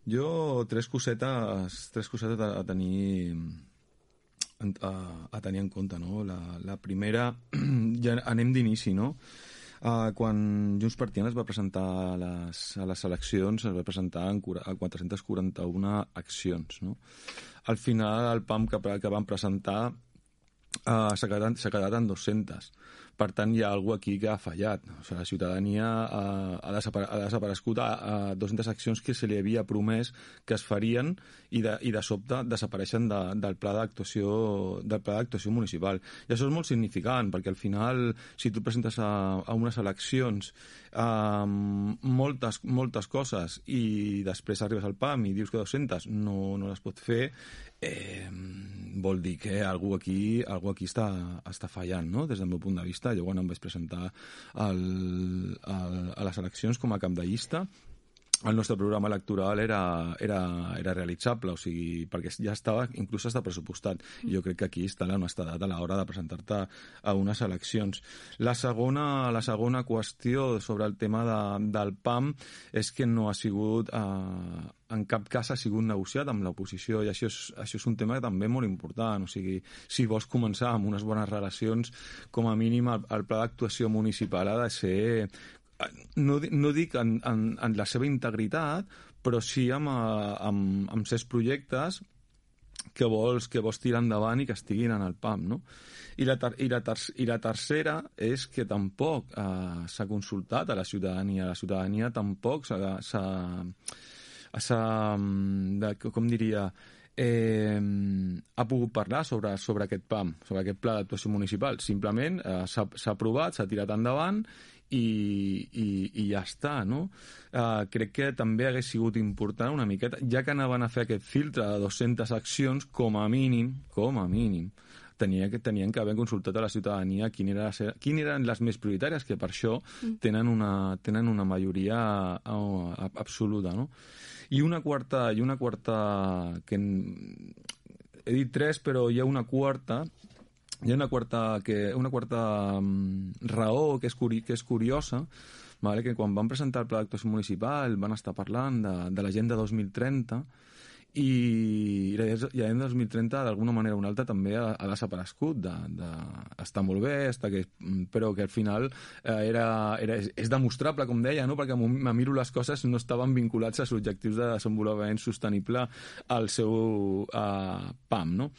Jo tres cosetes a tenir en compte, no? La primera, ja anem d'inici, no? Quan Junts per Tiana es va presentar a les eleccions, es va presentar a 441 accions, no? Al final, el PAM que van presentar s'ha quedat en 200. Per tant, hi ha alguna aquí que ha fallat. O sigui, la ciutadania ha desaparegut a 200 accions que se li havia promès que es farien i de sobte desapareixen del pla d'actuació municipal. I això és molt significant, perquè al final, si tu presentes a unes eleccions moltes coses i després arribes al PAM i dius que 200 no les pot fer, vol dir que algú aquí està fallant, no? Des del meu punt de vista. Jo quan em vaig presentar a les eleccions com a cap de llista, el nostre programa electoral era realitzable, o sigui, perquè ja estava, inclús està pressupostat. I jo crec que aquí està l'honestedat a l'hora de presentar-te a unes eleccions. La segona qüestió sobre el tema del PAM és que no ha sigut... en cap cas ha sigut negociat amb l'oposició, i això és un tema també molt important. O sigui, si vols començar amb unes bones relacions, com a mínim el pla d'actuació municipal ha de ser, no dic en la seva integritat, però sí amb certs projectes que vols tirar endavant i que estiguin en el PAM, no? I la tercera és que tampoc s'ha consultat a la ciutadania. La ciutadania tampoc com diria, ha pogut parlar sobre aquest PAM, sobre aquest pla d'actuació municipal. Simplement s'ha aprovat, s'ha tirat endavant i ja està, no? Crec que també hagués sigut important una miqueta, ja que anaven a fer aquest filtre de 200 accions, com a mínim, tenien que haver consultat a la ciutadania quines eren les més prioritàries, que per això tenen una majoria absoluta, no? I una quarta que he dit tres, però hi ha una quarta raó que és curiosa, vale? Que quan van presentar el pla d'actuació municipal van estar parlant de l'agenda 2030, i l'agenda 2030 d'alguna manera o una altra també ha desaparegut. Està molt bé, però que al final és demostrable, com deia, no? Perquè me miro les coses, no estaven vinculats als objectius de desenvolupament sostenible al seu PAM, no?